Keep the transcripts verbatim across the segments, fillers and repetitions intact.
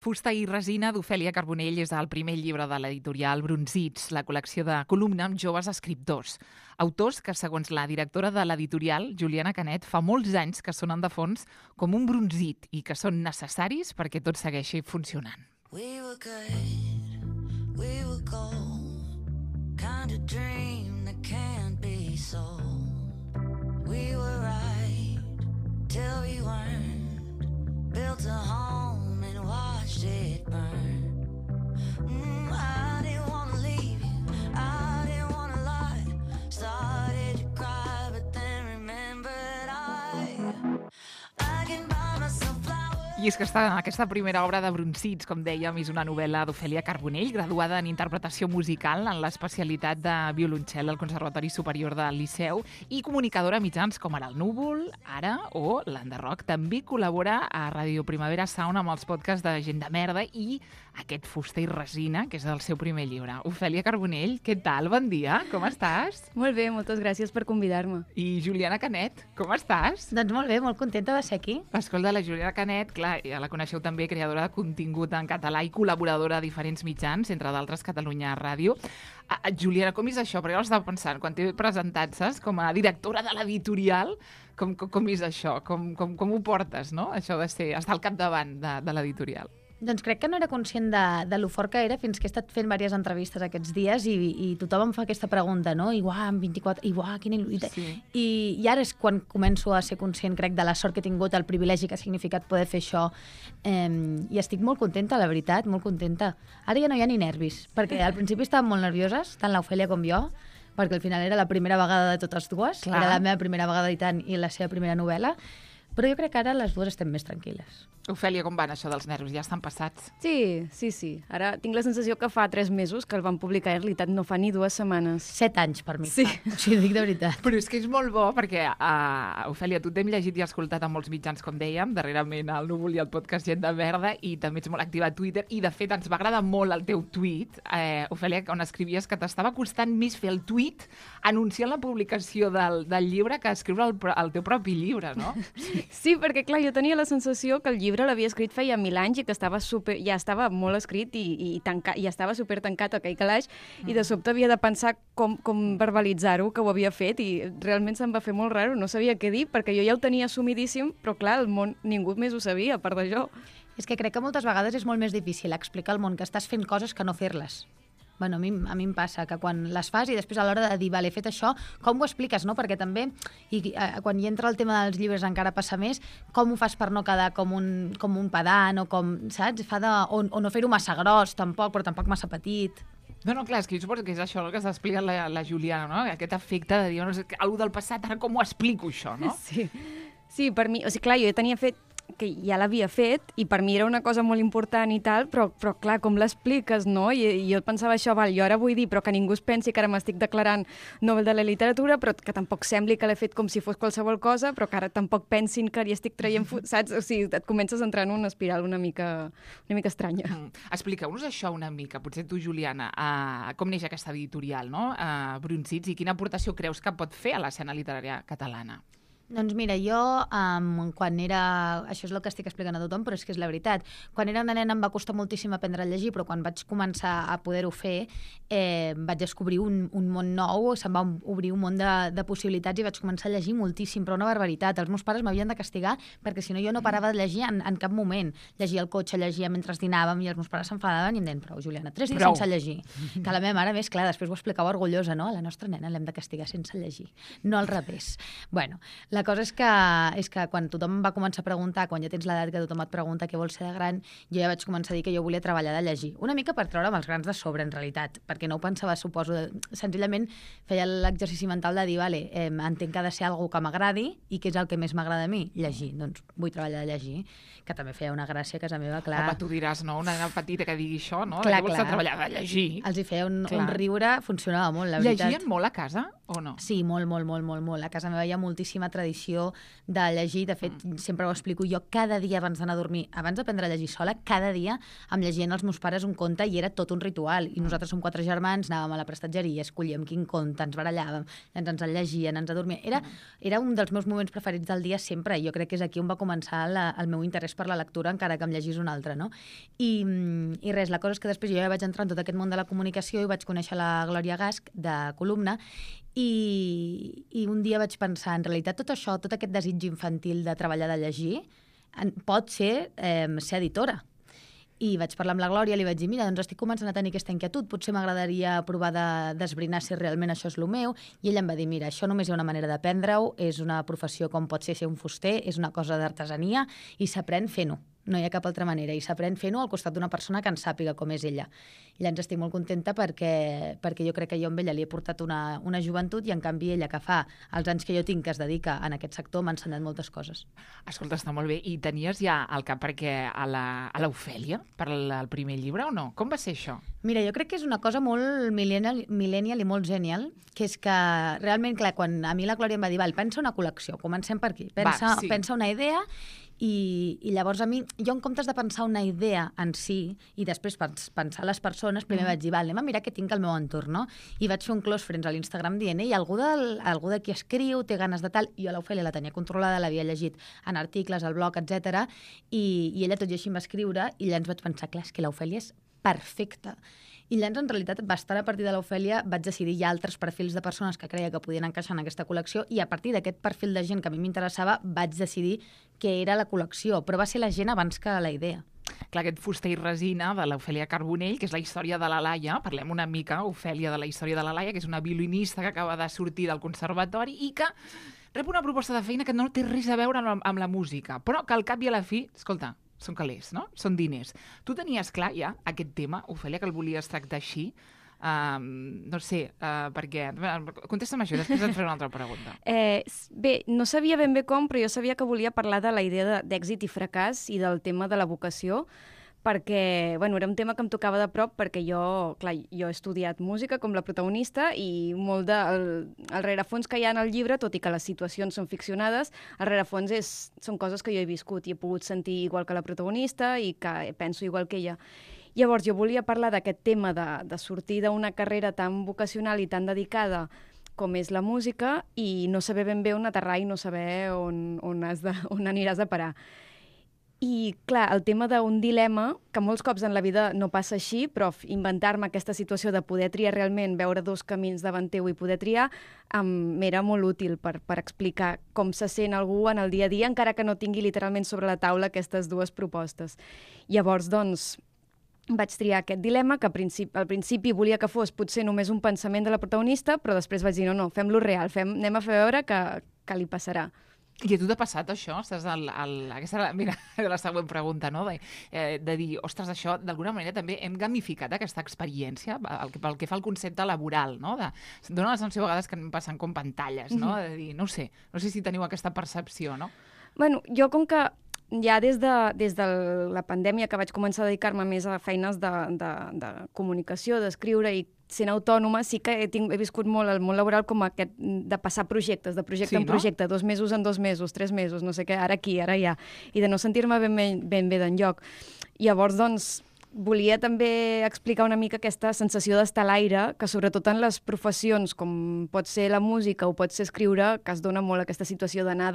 Fusta i resina d'Ofèlia Carbonell és el primer llibre de l'editorial Brunzits, la col·lecció de columna amb joves escriptors. Autors que, segons la directora de l'editorial, Juliana Canet, fa molts anys que sonen de fons com un brunzit i que són necessaris perquè tot segueixi funcionant. We were good, we were gold, kind of dream that can't be sold. We were right till we weren't, built a home and watched it burn. Mm, I didn't want to leave you, I didn't want to lie. Started to cry, but then remembered I, I can buy myself flowers. I és que està, aquesta primera obra de Brunzits, com dèiem, és una novel·la d'Ofèlia Carbonell, graduada en interpretació musical en l'especialitat de violoncel al Conservatori Superior del Liceu i comunicadora a mitjans com ara el Núvol, Ara o l'Enderroc. També col·labora a Ràdio Primavera Sound amb els podcasts de Gent de Merda i aquest Fusta i resina, que és el seu primer llibre. Ofèlia Carbonell, què tal? Bon dia, com estàs? Molt bé, moltes gràcies per convidar-me. I Juliana Canet, com estàs? Doncs molt bé, molt contenta de ser aquí. Escolta, la Juliana Canet, clar, ja la coneixeu també, creadora de contingut en català i col·laboradora a diferents mitjans, entre d'altres Catalunya Ràdio. Ah, Juliana, com és això? Perquè jo estava pensant, quan t'he presentat, saps, com a directora de l'editorial, com, com, com és això? Com, com, com ho portes, no?, això de ser, estar al capdavant de, de l'editorial. Doncs crec que no era conscient de, de lo fort que era fins que he estat fent diverses entrevistes aquests dies i, i tothom em fa aquesta pregunta, no? I uah, amb vint-i-quatre... I uah, quina il·lusió... Sí. I, I ara és quan començo a ser conscient, crec, de la sort que he tingut, el privilegi que ha significat poder fer això. Eh, I estic molt contenta, la veritat, molt contenta. Ara ja no hi ha ni nervis, perquè al principi estàvem molt nervioses, tant l'Ofèlia com jo, perquè al final era la primera vegada de totes dues. Clar. Era la meva primera vegada editant i la seva primera novel·la. Però jo crec que ara les dues estem més tranquil·les. Ofèlia, com van això dels nervis? Ja estan passats? Sí, sí, sí. Ara tinc la sensació que fa tres mesos que el van publicar, en realitat no fa ni dues setmanes. Set anys per mi. Sí. O sigui, dic de veritat. Però és que és molt bo perquè, uh, Ofèlia, tu t'hem llegit i escoltat a molts mitjans, com dèiem, darrerament al Núvol i al podcast Gent de Merda, i també ets molt activa a Twitter, i de fet ens va agradar molt el teu tuit, eh, Ofèlia, on escrivies que t'estava costant més fer el tuit anunciant la publicació del, del llibre que escriure el, el teu propi llibre, no? Sí, perquè clar, jo tenia la sensació que el llibre l'havia escrit feia mil anys i que estava super, ja estava molt escrit i, i, tanca, i estava super tancat aquell calaix mm. i de sobte havia de pensar com, com verbalitzar-ho, que ho havia fet, i realment se'm va fer molt raro, no sabia què dir, perquè jo ja ho tenia assumidíssim, però clar, el món, ningú més ho sabia, a part de jo. És que crec que moltes vegades és molt més difícil explicar al món que estàs fent coses que no fer-les. Bueno, a mi, a mi em passa que quan les fas i després a l'hora de dir, vale, he fet això, com ho expliques, no? Perquè també, i eh, quan hi entra el tema dels llibres encara passa més, com ho fas per no quedar com un, com un pedant o com, saps? Fa de, o, o no fer-ho massa gros, tampoc, però tampoc massa petit. No, no, clar, és que jo suposo que és això el que s'explica la, la Juliana, no? Aquest efecte de dir, no sé, algú del passat, ara com ho explico, això, no? Sí, sí, per mi, o sigui, clar, jo tenia fet que ja l'havia fet i per mi era una cosa molt important i tal, però, però clar, com l'expliques, no? I, I jo pensava això, val, jo ara vull dir, però que ningú es pensi que ara m'estic declarant Nobel de la literatura, però que tampoc sembli que l'he fet com si fos qualsevol cosa, però que ara tampoc pensin que li estic traient, saps? O sigui, et comences a entrar en una espiral una mica, una mica estranya. Mm. Expliqueu-nos això una mica, potser tu, Juliana, uh, com neix aquesta editorial, no? Uh, Brunzits, i quina aportació creus que pot fer a l'escena literària catalana? Doncs mira, jo, um, quan era... Això és el que estic explicant a tothom, però és que és la veritat. Quan era una nena em va costar moltíssim aprendre a llegir, però quan vaig començar a poder-ho fer, eh, vaig descobrir un, un món nou, se'm va obrir un món de, de possibilitats i vaig començar a llegir moltíssim, però una barbaritat. Els meus pares m'havien de castigar perquè si no jo no parava de llegir en, en cap moment. Llegia al cotxe, llegia mentre dinàvem i els meus pares s'enfadaven i em deien, prou, Juliana, tres dies Prou. sense llegir. Que la meva mare, més clar, després ho explicava orgullosa, no? A la nostra nena l'hem de castigar sense llegir, no al revés. Bueno, la cosa és que, és que quan tothom em va començar a preguntar, quan ja tens l'edat que tothom et pregunta què vols ser de gran, jo ja vaig començar a dir que jo volia treballar de llegir. Una mica per treure'm els grans de sobre, en realitat, perquè no ho pensava, suposo. Senzillament feia l'exercici mental de dir, vale, eh, entenc que ha de ser algú que m'agradi i què és el que més m'agrada a mi? Llegir. Doncs vull treballar de llegir, que també feia una gràcia a casa meva, clar. Home, tu diràs, no? Una nena petita que digui això, no? Clar, que vols clar. treballar de llegir. Els hi feia un, Clar. un riure, funcionava molt, la veritat. Llegien molt a casa o no? Sí, molt, molt, molt, molt, molt. A casa meva hi ha moltíssima tradició tradició de llegir. De fet, mm. sempre ho explico jo, cada dia abans d'anar a dormir, abans d'aprendre a llegir sola, cada dia em llegien els meus pares un conte i era tot un ritual. I nosaltres som quatre germans, anàvem a la prestatgeria, escollíem quin conte, ens barallàvem, ens, ens el llegien, ens adormíem. Era, era un dels meus moments preferits del dia sempre, i jo crec que és aquí on va començar la, el meu interès per la lectura, encara que em llegís un altre, no? I, i res, la cosa és que després jo ja vaig entrar en tot aquest món de la comunicació i vaig conèixer la Glòria Gasch, de Columna, i, i un dia vaig pensar, en realitat tot això, tot aquest desig infantil de treballar, de llegir, pot ser eh, ser editora. I vaig parlar amb la Glòria, li vaig dir, mira, doncs estic començant a tenir aquesta inquietud, potser m'agradaria provar d'esbrinar si realment això és el meu, i ella em va dir, mira, això només hi ha una manera d'aprendre-ho, és una professió com pot ser ser un fuster, és una cosa d'artesania, i s'aprèn fent-ho. No hi ha cap altra manera, i s'aprèn fent-ho al costat d'una persona que en sàpiga com és ella. I llavors estic molt contenta perquè, perquè jo crec que jo amb ella li he portat una, una joventut, i en canvi ella, que fa els anys que jo tinc que es dedica en aquest sector, m'ha ensenyat moltes coses. Escolta, està molt bé. I tenies ja al cap perquè a l'Ofèlia, per al primer llibre, o no? Com va ser això? Mira, jo crec que és una cosa molt millennial, millennial i molt genial, que és que realment, clar, quan a mi la Glòria em va dir, val, pensa una col·lecció, comencem per aquí, pensa, va, sí. pensa una idea. I, i llavors a mi, jo en comptes de pensar una idea en si i després pensar les persones, primer mm. vaig dir, val, anem a mirar què tinc al meu entorn, no? I vaig fer un close friends a l'Instagram dient, ei, algú, del, algú de qui escriu, té ganes de tal, i jo l'Ofèlia la tenia controlada, l'havia llegit en articles, al blog, etcètera. I, i ella tot i així em va escriure, i llavors vaig pensar, clar, és que l'Ofèlia és perfecta. I llavors, en realitat, bastant a partir de l'Ofèlia vaig decidir ja altres perfils de persones que creia que podien encaixar en aquesta col·lecció, i a partir d'aquest perfil de gent que a mi m'interessava vaig decidir què era la col·lecció, però va ser la gent abans que la idea. Clar, aquest fuster i resina de l'Ofèlia Carbonell, que és la història de la Laia. Parlem una mica, Ofèlia, de la història de la Laia, que és una violinista que acaba de sortir del conservatori i que rep una proposta de feina que no té res a veure amb, amb la música, però que al cap i a la fi, escolta, són calés, no? Són diners. Tu tenies clar ja aquest tema, Ofèlia, que el volies tractar així? Um, no sé, uh, perquè... Contesta'm això, després et faré una altra pregunta. Eh, bé, no sabia ben bé com, però jo sabia que volia parlar de la idea d'èxit i fracàs i del tema de la vocació, perquè, bueno, era un tema que em tocava de prop, perquè jo, clar, jo he estudiat música com la protagonista, i molt del el rerefons que hi ha en el llibre, tot i que les situacions són ficcionades, el rerefons és, són coses que jo he viscut i he pogut sentir igual que la protagonista i que penso igual que ella. Llavors, jo volia parlar d'aquest tema de, de sortir d'una carrera tan vocacional i tan dedicada com és la música i no saber ben bé on aterrar i no saber on, on, has de, on aniràs a parar. I, clar, el tema d'un dilema, que molts cops en la vida no passa així, però inventar-me aquesta situació de poder triar realment, veure dos camins davant teu i poder triar, um, m'era molt útil per, per explicar com se sent algú en el dia a dia, encara que no tingui literalment sobre la taula aquestes dues propostes. Llavors, doncs, vaig triar aquest dilema, que al principi, al principi volia que fos potser només un pensament de la protagonista, però després vaig dir, no, no, fem-lo real, fem, anem a fer veure que, que li passarà. I a tu t'ha passat això? Estàs al, al, aquesta, mira, la següent pregunta, no? De, eh, de dir, ostres, això, d'alguna manera també hem gamificat aquesta experiència pel que, pel que fa al concepte laboral, no? De, dona la sensació a vegades que anem passant com pantalles, no? De dir, no sé, no sé si teniu aquesta percepció, no? Bueno, jo com que ja des de, des de la pandèmia que vaig començar a dedicar-me més a feines de, de, de comunicació, d'escriure i sent autònoma, sí que he, tinc, he viscut molt el món laboral com aquest de passar projectes, de projecte sí, en projecte, no? dos mesos en dos mesos, tres mesos, no sé què, ara aquí, ara allà, i de no sentir-me ben, ben, ben bé d'enlloc. Llavors, doncs, volia també explicar una mica aquesta sensació d'estar a l'aire, que sobretot en les professions, com pot ser la música o pot ser escriure, que es dona molt aquesta situació d'anar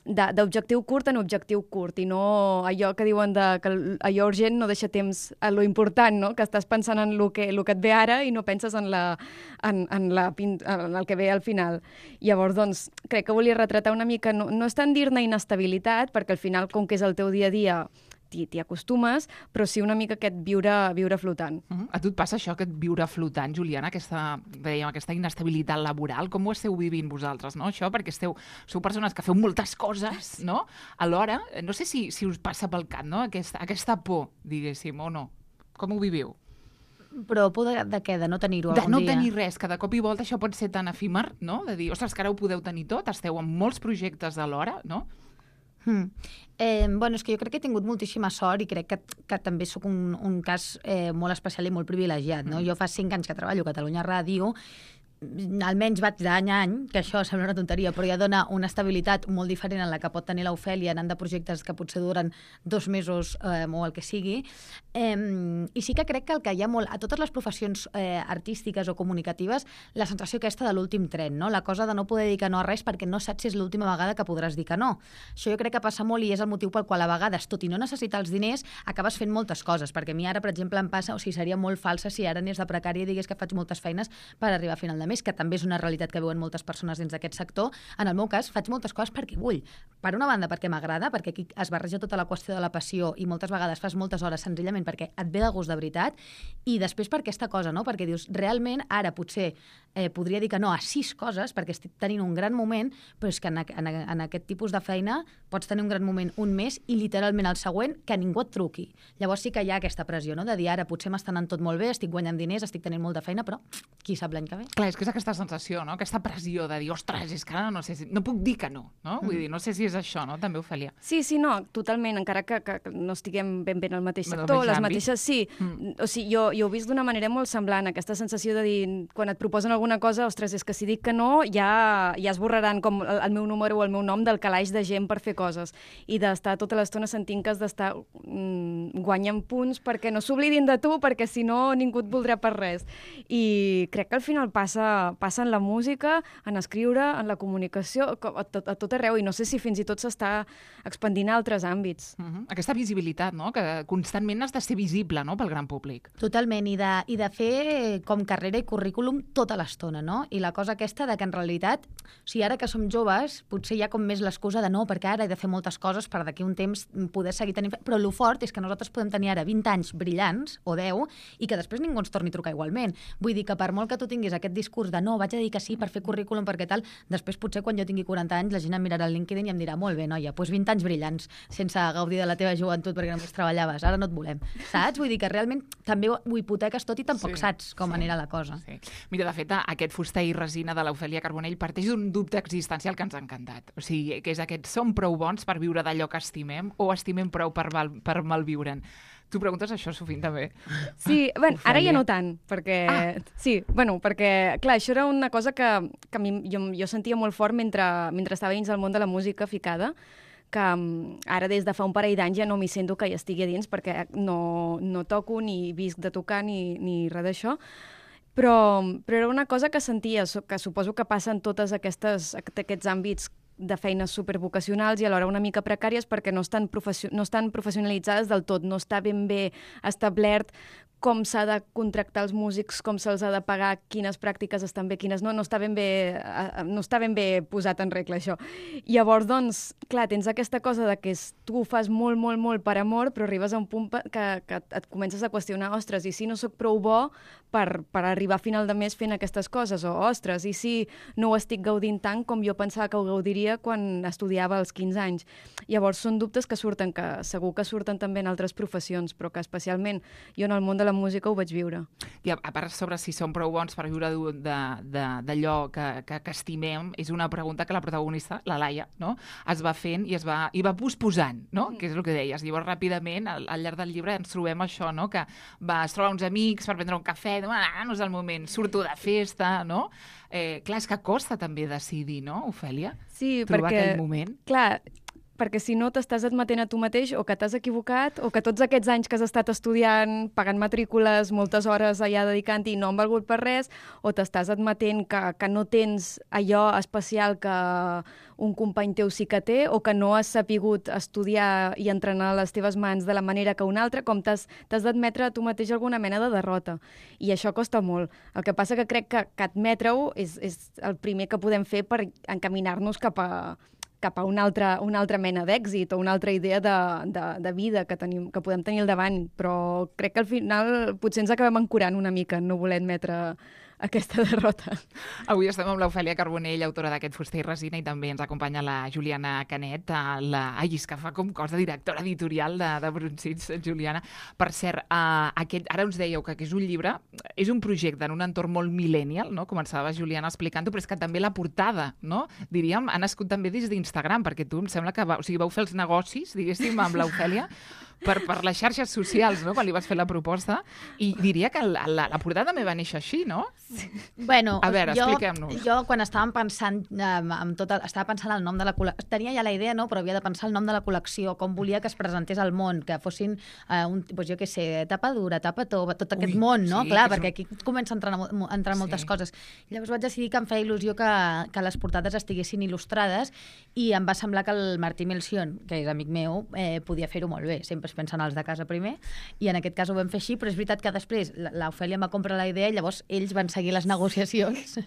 d'objectiu curt en objectiu curt, i no allò que diuen de, que allò urgent no deixa temps a lo important, no? Que estàs pensant en el que, lo que et ve ara i no penses en, la, en, en, la, en el que ve al final. Llavors, doncs, crec que volia retratar una mica, no, no és tant dir-ne inestabilitat, perquè al final, com que és el teu dia a dia, t'hi acostumes, però sí una mica aquest viure, viure flotant. Uh -huh. A tu et passa això, aquest viure flotant, Juliana, aquesta, dèiem, aquesta inestabilitat laboral? Com ho esteu vivint vosaltres, no? Això, perquè esteu, sou persones que feu moltes coses, no? Alhora, no sé si, si us passa pel cap, no? Aquesta, aquesta por, diguéssim, o no? Com ho viviu? Però por de, de què? De no tenir-ho algun dia? De no dia? tenir res, que de cop i volta això pot ser tan efímer, no? De dir, ostres, que ara ho podeu tenir tot, esteu en molts projectes alhora, no? Hmm. Eh, bueno, és que jo crec que he tingut moltíssima sort i crec que, que també sóc un, un cas eh, molt especial i molt privilegiat, no? Mm. Jo fa cinc anys que treballo a Catalunya Ràdio, almenys vaig d'any a any, que això sembla una tonteria, però ja dona una estabilitat molt diferent en la que pot tenir l'Ofèlia anant de projectes que potser duren dos mesos eh, o el que sigui. Eh, I sí que crec que el que hi ha molt, a totes les professions eh, artístiques o comunicatives, la sensació aquesta de l'últim tren, no? La cosa de no poder dir que no a res perquè no saps si és l'última vegada que podràs dir que no. Això jo crec que passa molt i és el motiu pel qual a vegades, tot i no necessitar els diners, acabes fent moltes coses, perquè a mi ara, per exemple, em passa, o sigui, seria molt falsa si ara anés de precària i digués que faig moltes feines per arribar a final de mes, que també és una realitat que veuen moltes persones dins d'aquest sector. En el meu cas, faig moltes coses perquè vull. Per una banda, perquè m'agrada, perquè aquí es barreja tota la qüestió de la passió i moltes vegades fas moltes hores senzillament perquè et ve de gust de veritat, i després per aquesta cosa, no? Perquè dius, realment, ara potser eh, podria dir que no a sis coses, perquè estic tenint un gran moment, però és que en, en, en aquest tipus de feina pots tenir un gran moment un mes i literalment el següent que ningú et truqui. Llavors sí que hi ha aquesta pressió, no? De dir, ara potser m'està anant tot molt bé, estic guanyant diners, estic tenint molta feina, però qui sap l'any que ve? Clar, és que és aquesta sensació, no? Aquesta pressió de dir, ostres, és que ara no sé si... No puc dir que no, no? Vull dir, no sé si és això, no? També, Ofèlia. Sí, sí, no, totalment, encara que, que, que no estiguem ben bé en el mateix En el sector, mateix les àmbit. mateixes, sí. Mm. O sigui, jo, jo ho he vist d'una manera molt semblant, aquesta sensació de dir, quan et proposen alguna cosa, ostres, és que si dic que no, ja, ja esborraran com el, el meu número o el meu nom del calaix de gent per fer coses. I d'estar tota l'estona sentint que has d'estar mm, guanyant punts perquè no s'oblidin de tu, perquè si no ningú et voldrà per res. I crec que al final passa, passa en la música, en escriure, en la comunicació, a tot, a tot arreu, i no sé si fins i tot s'està expandint a altres àmbits. Uh -huh. Aquesta visibilitat, no? Que constantment has de ser visible, no?, pel gran públic. Totalment, i de, i de fer com carrera i currículum tota l'estona, no? I la cosa aquesta de que en realitat, o sigui, ara que som joves, potser hi ha com més l'excusa de no, perquè ara he de fer moltes coses per d'aquí un temps poder seguir tenint... Però el fort és que nosaltres podem tenir ara vint anys brillants, o deu, i que després ningú ens torni a trucar igualment. Vull dir que per molt que tu tinguis aquest discurs de no, vaig a dir que sí per fer currículum, perquè tal, després potser quan jo tingui quaranta anys la gent em mirarà al LinkedIn i em dirà, molt bé, noia, doncs vint anys brillants, sense gaudir de la teva joventut perquè només treballaves, ara no et volem. Saps? Vull dir que realment també ho hipoteques tot i tampoc Sí, saps com sí, anirà la cosa. Sí. Mira, de fet, aquest fuster i resina de l'Ofèlia Carbonell parteix d'un dubte existencial que ens ha encantat. O sigui, que és aquest, som prou bons per viure d'allò que estimem o estimem prou per, val, per malviure'n? Tu preguntes això, Sofint, també? Sí, bueno, ara Ofèlia. ja no tant, perquè... Ah. Sí, bueno, perquè, clar, això era una cosa que, que a mi, jo, jo sentia molt fort mentre, mentre estava dins del món de la música ficada, que um, ara des de fa un parell d'anys ja no m'hi sento que hi estigui a dins, perquè no, no toco ni visc de tocar ni, ni res d'això, però, però era una cosa que sentia, que suposo que passa en totes aquestes, aquests àmbits de feines supervocacionals i alhora una mica precàries perquè no estan, profession no estan professionalitzades del tot, no està ben bé establert com s'ha de contractar els músics, com se'ls ha de pagar, quines pràctiques estan bé, quines no, no està ben bé, no està ben bé posat en regla això. I llavors, doncs, clar, tens aquesta cosa de que tu ho fas molt, molt, molt per amor, però arribes a un punt que, que et comences a qüestionar, ostres, i si no sóc prou bo per, per arribar a final de mes fent aquestes coses, o ostres, i si no ho estic gaudint tant com jo pensava que ho gaudiria quan estudiava als quinze anys. Llavors, són dubtes que surten, que segur que surten també en altres professions, però que especialment jo en el món de la música ho vaig viure. I a, a part sobre si som prou bons per viure d'allò que, que, que estimem, és una pregunta que la protagonista, la Laia, no?, es va fent i es va, i va posposant, no?, mm. que és el que deies. Llavors, ràpidament, al, al llarg del llibre ens trobem això, no?, que va, es troba uns amics per prendre un cafè, diu, ah, no és el moment, surto de festa, no? Eh, clar, és que costa també decidir, no, Ofèlia? Sí, trobar perquè... aquell moment. Clar, perquè si no t'estàs admetent a tu mateix o que t'has equivocat o que tots aquests anys que has estat estudiant, pagant matrícules, moltes hores allà dedicant-hi i no han valgut per res, o t'estàs admetent que, que no tens allò especial que un company teu sí que té o que no has sapigut estudiar i entrenar les teves mans de la manera que un altre, com t'has d'admetre a tu mateix alguna mena de derrota. I això costa molt. El que passa que crec que, que admetre-ho és, és el primer que podem fer per encaminar-nos cap a cap a una altra, una altra mena d'èxit o una altra idea de, de, de vida que, tenim, que podem tenir al davant, però crec que al final potser ens acabem ancorant una mica en no voler admetre aquesta derrota. Avui estem amb l'Ofèlia Carbonell, autora d'aquest Fuster i resina, i també ens acompanya la Juliana Canet, la... Ai, és que fa com cosa, directora editorial de, de Brunzits, Juliana. Per cert, uh, aquest, ara us dèieu que, que és un llibre, és un projecte en un entorn molt millennial, no?, començava Juliana explicant-ho, però és que també la portada, no?, diríem, ha nascut també des d'Instagram, perquè tu em sembla que va, o sigui, vau fer els negocis, diguéssim, amb l'Ofèlia, per, per les xarxes socials, no?, quan li vas fer la proposta, i diria que la, la, la portada també va néixer així, no? Bueno, A veure, jo, expliquem-nos. jo quan estàvem pensant um, amb tot el, estava pensant el nom de la col·lecció, tenia ja la idea, no? Però havia de pensar el nom de la col·lecció, com volia que es presentés al món, que fossin, uh, un, doncs jo què sé, tapa dura, tapa tova, tot aquest Ui, món, no? sí, Clar, que és perquè un- aquí comença a entrar, a entrar Sí. moltes coses. Llavors vaig decidir que em feia il·lusió que, que les portades estiguessin il·lustrades i em va semblar que el Martí Melcion, que és amic meu, eh, podia fer-ho molt bé. Sempre es pensen els de casa primer, i en aquest cas ho vam fer així, però és veritat que després l'Ofèlia em va comprar la idea i llavors ells van seguir les negociacions.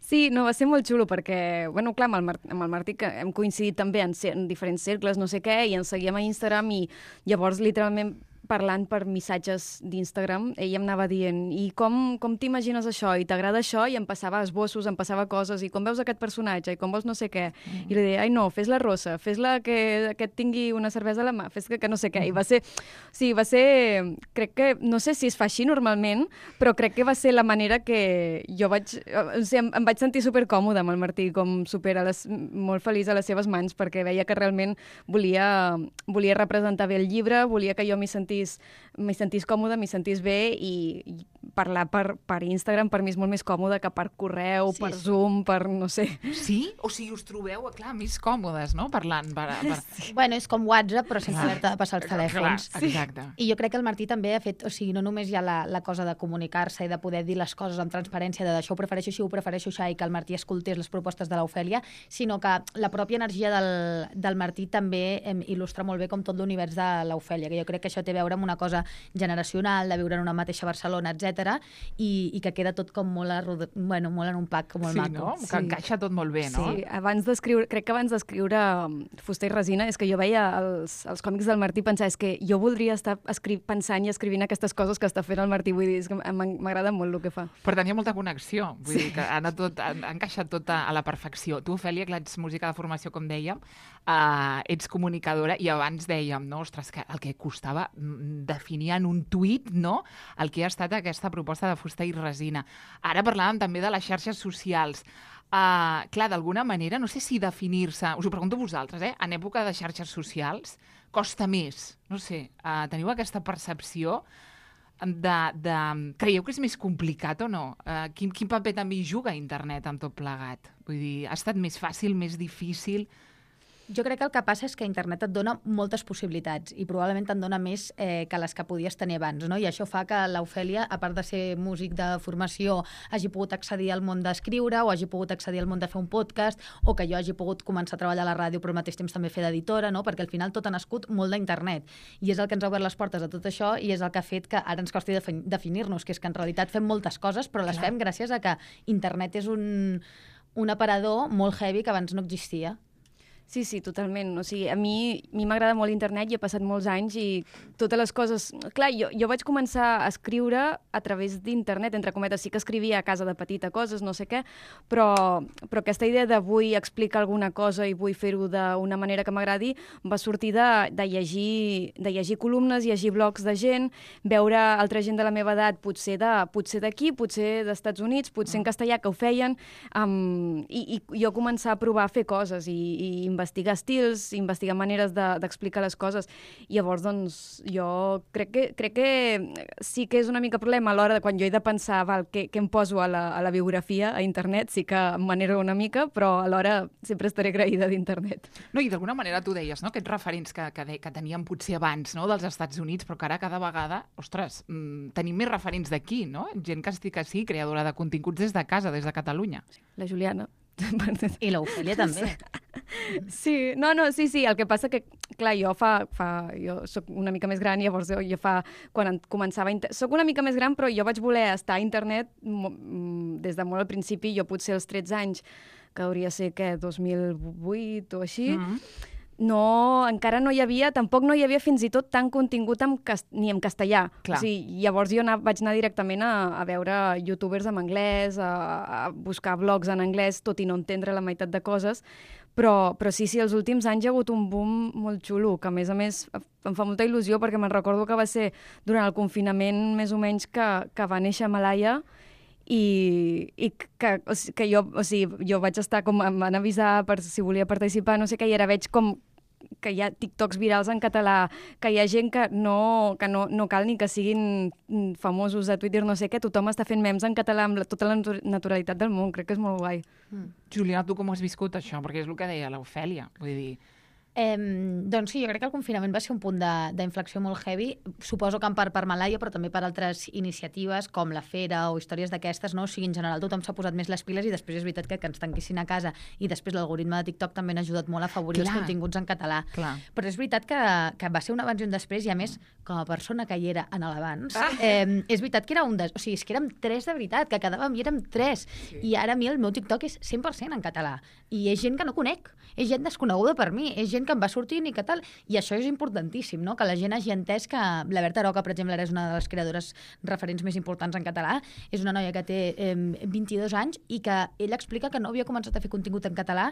Sí, no, va ser molt xulo perquè, bueno, clar, amb el, Mar amb el Martí que hem coincidit també en, en diferents cercles, no sé què, i ens seguíem a Instagram i llavors literalment parlant per missatges d'Instagram, ell em anava dient i com, com t'imagines això? I t'agrada això? I em passava esbossos, em passava coses, i com veus aquest personatge? I com vols no sé què? Mm. I li deia, ai no, fes-la rossa, fes-la que, que et tingui una cervesa a la mà, fes que, que no sé què. I va ser, sí, va ser, crec que, no sé si es fa així normalment, però crec que va ser la manera que jo vaig, o sigui, em, em vaig sentir supercòmoda amb el Martí, com super a les, molt feliç a les seves mans, perquè veia que realment volia, volia representar bé el llibre, volia que jo m'hi sentís m'hi sentís còmode, m'hi sentís bé i, i parlar per, per Instagram per mi és molt més còmode que per correu, Sí, per sí. Zoom, per no sé. Sí? O sigui, us trobeu, clar, més còmodes, no?, parlant. Per, per... Sí. Bueno, és com WhatsApp, però sense haver-te de passar els telèfons. Clar, exacte. I jo crec que el Martí també ha fet, o sigui, no només hi ha la, la cosa de comunicar-se i de poder dir les coses amb transparència, de això ho prefereixo així, ho prefereixo així, i que el Martí escoltés les propostes de l'Ofèlia, sinó que la pròpia energia del, del Martí també em, il·lustra molt bé com tot l'univers de l'Ofèlia, que jo crec que això té a veure amb una cosa generacional, de viure en una mateixa Barcelona, etcètera, i, i que queda tot com molt, arrod... bueno, molt en un pack molt Sí, maco. no? Que encaixa tot molt bé, no? Sí, abans d'escriure, crec que abans d'escriure um, Fuster i Resina, és que jo veia els, els còmics del Martí i pensava, és que jo voldria estar escri pensant i escrivint aquestes coses que està fent el Martí, vull dir, és que m'agrada molt el que fa. Per tant, hi ha molta connexió. Vull sí. dir que ha, anat tot, ha, ha encaixat tot a, a la perfecció. Tu, Ofèlia, que ets música de formació, com dèiem, uh, ets comunicadora, i abans dèiem, no, ostres, que el que costava mm, definir en un tuit, no?, el que ha estat aquesta proposta de Fuster i Resina. Ara parlàvem també de les xarxes socials. Uh, clar, d'alguna manera, no sé si definir-se, us ho pregunto a vosaltres, eh? En època de xarxes socials costa més, no sé, uh, teniu aquesta percepció de, de... Creieu que és més complicat o no? Uh, quin, quin paper també hi juga internet amb tot plegat? Vull dir, ha estat més fàcil, més difícil? Jo crec que el que passa és que internet et dona moltes possibilitats i probablement te'n dona més eh, que les que podies tenir abans, no? I això fa que l'Ofèlia, a part de ser músic de formació, hagi pogut accedir al món d'escriure o hagi pogut accedir al món de fer un podcast o que jo hagi pogut començar a treballar a la ràdio però al mateix temps també fer d'editora, no? Perquè al final tot ha nascut molt d'internet i és el que ens ha obert les portes a tot això i és el que ha fet que ara ens costi defin definir-nos, que és que en realitat fem moltes coses però les Clar. fem gràcies a que internet és un, un aparador molt heavy que abans no existia. Sí, sí, totalment. O sigui, a mi a mi m'agrada molt internet i he passat molts anys i totes les coses... Clar, jo, jo vaig començar a escriure a través d'internet, entre cometes. Sí que escrivia a casa de petita coses, no sé què, però, però aquesta idea de vull explicar alguna cosa i vull fer-ho d'una manera que m'agradi va sortir de, de, llegir, de llegir columnes, llegir blogs de gent, veure altra gent de la meva edat, potser de potser d'aquí, potser d'Estats Units, potser en castellà, que ho feien, um, i, i jo començar a provar a fer coses i, i investigar estils, investigar maneres d'explicar de, les coses. I llavors, doncs, jo crec que, crec que sí que és una mica problema a l'hora de quan jo he de pensar val, què, què em poso a la, a la biografia, a internet, sí que m'enero una mica, però alhora sempre estaré agraïda d'internet. No, i d'alguna manera tu deies, no?, aquests referents que, que, de, que teníem potser abans, no?, dels Estats Units, però que ara cada vegada, ostres, mmm, tenim més referents d'aquí, no? Gent que estic així, creadora de continguts des de casa, des de Catalunya. La Juliana. I l'Ofèlia també. Sí, no, no, sí, sí, el que passa que, clar, jo fa, fa jo soc una mica més gran, llavors jo, jo fa, quan començava, soc una mica més gran, però jo vaig voler estar a internet des de molt al principi, jo potser als tretze anys, que hauria de ser, què, dos mil vuit o així, mm-hmm. No, encara no hi havia, tampoc no hi havia fins i tot tant contingut en cast, ni en castellà. Clar. O sigui, llavors jo anar, vaig anar directament a, a veure youtubers en anglès, a, a buscar blogs en anglès, tot i no entendre la meitat de coses, però, però sí, sí, els últims anys hi ha hagut un boom molt xulo, que a més a més em fa molta il·lusió perquè me'n recordo que va ser durant el confinament més o menys que, que va néixer Malaya, i, i que, o sigui, que jo, o sigui, jo vaig estar com, em van avisar per si volia participar, no sé què, i ara veig com que hi ha TikToks virals en català, que hi ha gent que no, que no, no cal ni que siguin famosos a Twitter, no sé què, tothom està fent memes en català amb la, tota la naturalitat del món, crec que és molt guai. Mm. Juliana, tu com has viscut això? Perquè és el que deia l'Ofèlia, vull dir... Eh, doncs sí, jo crec que el confinament va ser un punt d'inflexió molt heavy, suposo que en part per Malaia, però també per altres iniciatives com la Fera o històries d'aquestes, no? O sigui, en general tothom s'ha posat més les piles i després és veritat que, que ens tanquessin a casa i després l'algoritme de TikTok també ha ajudat molt a afavorir Clar. els continguts en català. Clar. Però és veritat que, que va ser un abans i un després i a més, com a persona que hi era en l'abans, ah. eh, és veritat que era un... Des... O sigui, és que érem tres de veritat, que quedàvem i érem tres. Sí. I ara a mi el meu TikTok és cent per cent en català. I és gent que no conec, és gent desconeguda per mi, és gent que em va sortint i que tal, i això és importantíssim, no? Que la gent hagi entès que la Berta Roca, per exemple, ara és una de les creadores referents més importants en català, és una noia que té eh, vint-i-dos anys i que ella explica que no havia començat a fer contingut en català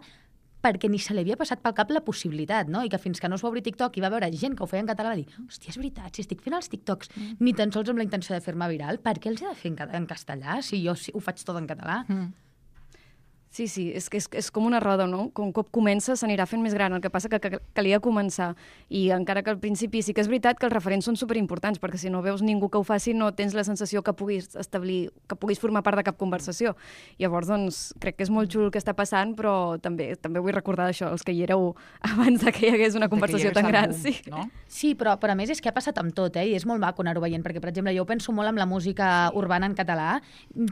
perquè ni se li havia passat pel cap la possibilitat, no? I que fins que no es va obrir TikTok i va veure gent que ho feia en català va dir, hòstia, és veritat, si estic fent els TikToks mm. ni tan sols amb la intenció de fer-me viral, per què els he de fer en, en castellà si jo ho faig tot en català? Mm. Sí, sí, és que és, és com una roda, no? Com un cop comença s'anirà fent més gran, el que passa que, que calia començar. I encara que al principi sí que és veritat que els referents són superimportants, perquè si no veus ningú que ho faci no tens la sensació que puguis establir, que puguis formar part de cap conversació. Llavors, doncs, crec que és molt xulo el que està passant, però també també vull recordar això, els que hi éreu abans de que hi hagués una conversació tan gran. Boom, sí, no? Sí, però, però a més és que ha passat amb tot, eh? I és molt maco anar-ho veient, perquè, per exemple, jo penso molt amb la música urbana en català.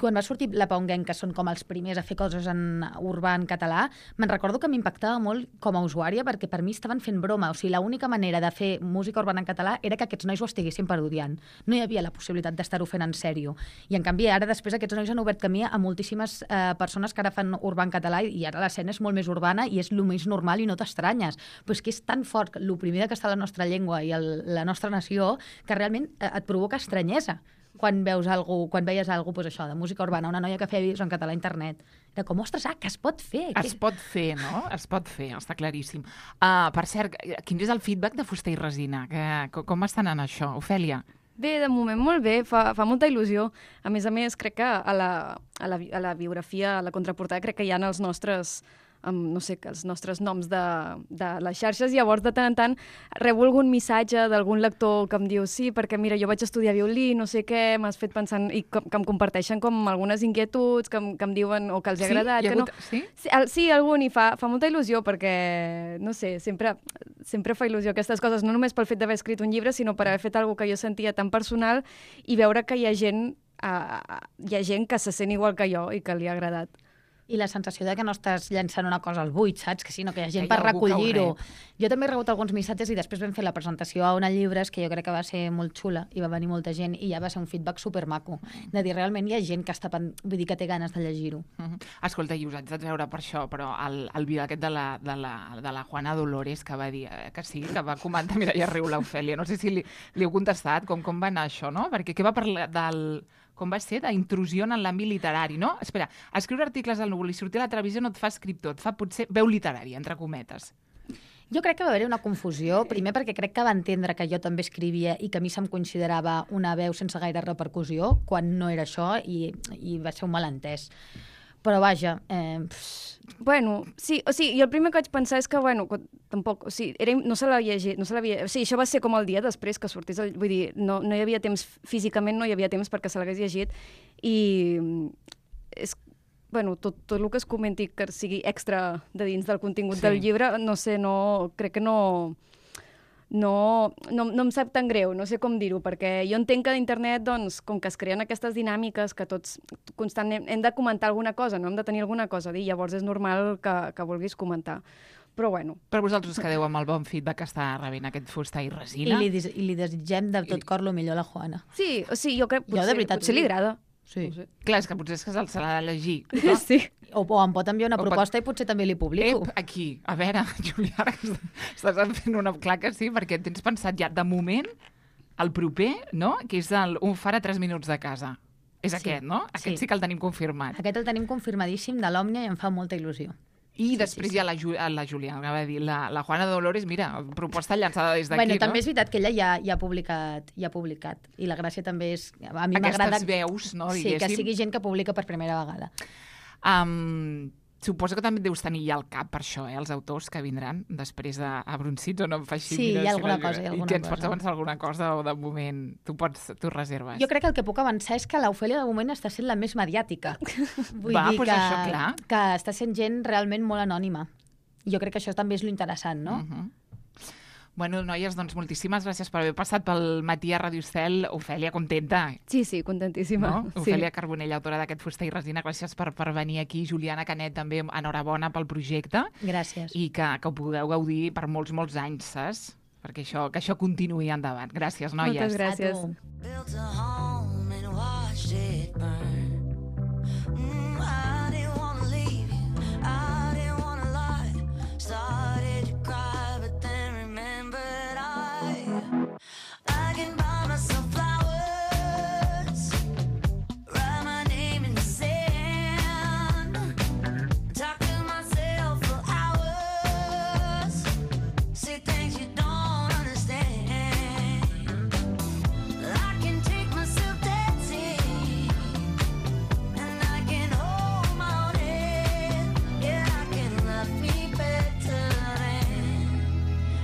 Quan va sortir La Paunguenc, que són com els primers a fer coses en urbà en català, me'n recordo que m'impactava molt com a usuària perquè per mi estaven fent broma, o sigui, l'única manera de fer música urbana en català era que aquests nois ho estiguessin parodiant. No hi havia la possibilitat d'estar-ho fent en sèrio. I en canvi ara després aquests nois han obert camí a moltíssimes eh, persones que ara fan urbà en català i ara l'escena és molt més urbana i és el més normal i no t'estranyes. Però és que és tan fort l'oprimida que està la nostra llengua i el, la nostra nació que realment eh, et provoca estranyesa quan veus algú, quan veies algú, doncs això, de música urbana, una noia que feia vídeos en català a internet. Era com, ostres, ah, que es pot fer. Es que... pot fer, no? Es pot fer, està claríssim. Uh, per cert, quin és el feedback de Fuster i Resina? Que, com està anant això, Ofèlia? Bé, de moment molt bé, fa, fa molta il·lusió. A més a més, crec que a la, a la, a la biografia, a la contraportada, crec que hi ha els nostres... amb, no sé, els nostres noms de, de les xarxes, i llavors de tant en tant rebo algun missatge d'algun lector que em diu sí, perquè mira, jo vaig estudiar violí, no sé què, m'has fet pensant, i que, que em comparteixen com algunes inquietuds, que em, que em diuen o que els ha sí? agradat. Ha que hagut... no... Sí? Sí, el, sí, algun, i fa, fa molta il·lusió perquè, no sé, sempre, sempre fa il·lusió aquestes coses, no només pel fet d'haver escrit un llibre, sinó per haver fet alguna que jo sentia tan personal i veure que hi ha gent, uh, hi ha gent que se sent igual que jo i que li ha agradat. I la sensació de que no estàs llançant una cosa al buit, saps? Que sinó que hi ha gent per recollir-ho. Jo també he rebut alguns missatges i després vam fer la presentació a una llibres que jo crec que va ser molt xula i va venir molta gent i ja va ser un feedback supermaco. De dir, realment hi ha gent que està, vull dir, que té ganes de llegir-ho. Uh -huh. Escolta, i us haig de treure per això, però el, el vídeo aquest de la, de, la, de la Juana Dolores que va dir eh, que sí, que va comentar, mira, ja riu l'Ofèlia, no sé si li, li heu contestat com, com va anar això, no? Perquè què va parlar del... com va ser, d'intrusió en l'àmbit literari, no? Espera, escriure articles al núvol i sortir a la televisió no et fa escriptor, et fa potser veu literària, entre cometes. Jo crec que va haver-hi una confusió, primer perquè crec que va entendre que jo també escrivia i que a mi se'm considerava una veu sense gaire repercussió, quan no era això, i, i va ser un malentès. Però vaja... Eh, bueno, sí, o sigui, jo el primer que vaig pensar és que, bueno, tampoc, o sigui, era, no se l'havia llegit, no se l'havia... O sigui, això va ser com el dia després que sortís, el, vull dir, no, no hi havia temps, físicament no hi havia temps perquè se l'hagués llegit, i és, bueno, tot, tot el que es comenti que sigui extra de dins del contingut sí. del llibre, no sé, no, crec que no... No, no, no em sap tan greu, no sé com dir-ho, perquè jo entenc que a internet, doncs, com que es creen aquestes dinàmiques que tots constantment hem de comentar alguna cosa, no hem de tenir alguna cosa a dir, llavors és normal que, que vulguis comentar. Però bueno. Per vosaltres quedeu amb el bon feedback que està rebent aquest Fuster i Resina. I li, i li desitgem de tot cor lo millor a la Juana. Sí, o sigui, jo crec que potser, de veritat, potser li agrada. Sí. No sé. Clar, és que potser és que se l'ha de llegir. No? Sí. O, o em pot enviar una o proposta pot... i potser també li publico. Ep, aquí. A veure, Juliana, estàs fent una... Clar que sí, perquè tens pensat ja, de moment, el proper, no?, que és el, un far a tres minuts de casa. És sí. aquest, no? Aquest sí. sí que el tenim confirmat. Aquest el tenim confirmadíssim de l'Òmnia i em fa molta il·lusió. I sí, després sí, sí. hi ha la, Ju la Juliana, que va dir, la, la Juana Dolores, mira, proposta llançada des d'aquí, bueno, no? També és veritat que ella ja, ja, ha publicat, ja ha publicat, i la gràcia també és... A mi Aquestes m'agrada veus, no, sí, diguéssim. que sigui gent que publica per primera vegada. Um, Suposo que també deus tenir ja al cap per això, eh, els autors que vindran després de a Brunzits, o no em fa així? Sí, mira, hi ha si alguna no- cosa, hi ha alguna I que ens cosa. pots avançar alguna cosa o de moment tu pots, tu reserves? Jo crec que el que puc avançar és que l'Ofèlia de moment està sent la més mediàtica. Vull Va, dir doncs que, això, clar. que està sent gent realment molt anònima. Jo crec que això també és lo interessant, no? Uh -huh. Bueno, noies, doncs moltíssimes gràcies per haver passat pel matí a Ràdio Estel. Ofèlia, contenta, Sí, sí, contentíssima. no? Sí. Ofèlia Carbonell, autora d'aquest Fusta i Resina, gràcies per, per venir aquí. Juliana Canet, també enhorabona pel projecte Gràcies. i que, que ho pugueu gaudir per molts, molts anys, saps? Perquè això, que això continuï endavant. Gràcies, noies. Moltes gràcies. A tu. Built a home and watched it burn. Mm, I didn't wanna leave you, I didn't wanna lie. Started to cry, but then remembered I I can buy myself flowers, write my name in the sand, talk to myself for hours, say things you don't understand. I can take myself dancing, and I can hold my own head. Yeah, I can love me better than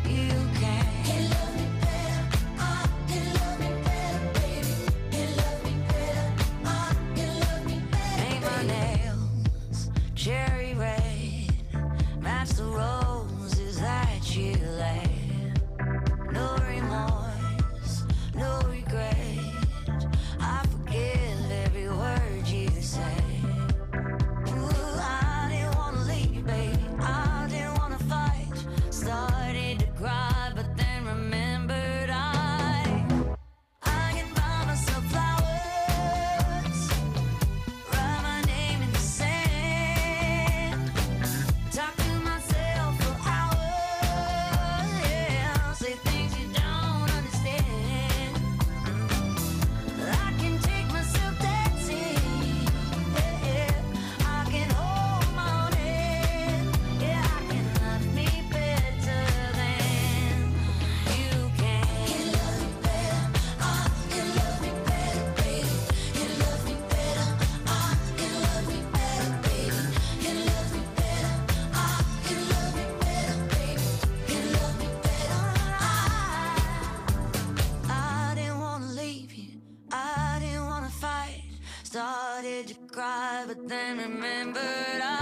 you can. Can love me better, I can love me better, baby. Can love me better, I can love me better. Paint my nails cherry red, match the roses that you laid. No remorse, no regret. I forgive every word you say. Ooh, I didn't wanna leave, baby. I didn't wanna fight. Started to cry, but then remembered I I can buy myself flowers, write my name in the sand, talk to myself for hours, yeah, say things you don't understand. I can take myself dancing, yeah, I can hold my own head, yeah, I can love me better than you can. Can love me better, I can love me better, baby. Can love me better, I can love me better, baby. Can love me better, I can love me better, baby. Can love me better, I I didn't wanna leave you, I didn't wanna fight. Started to cry, but then remembered I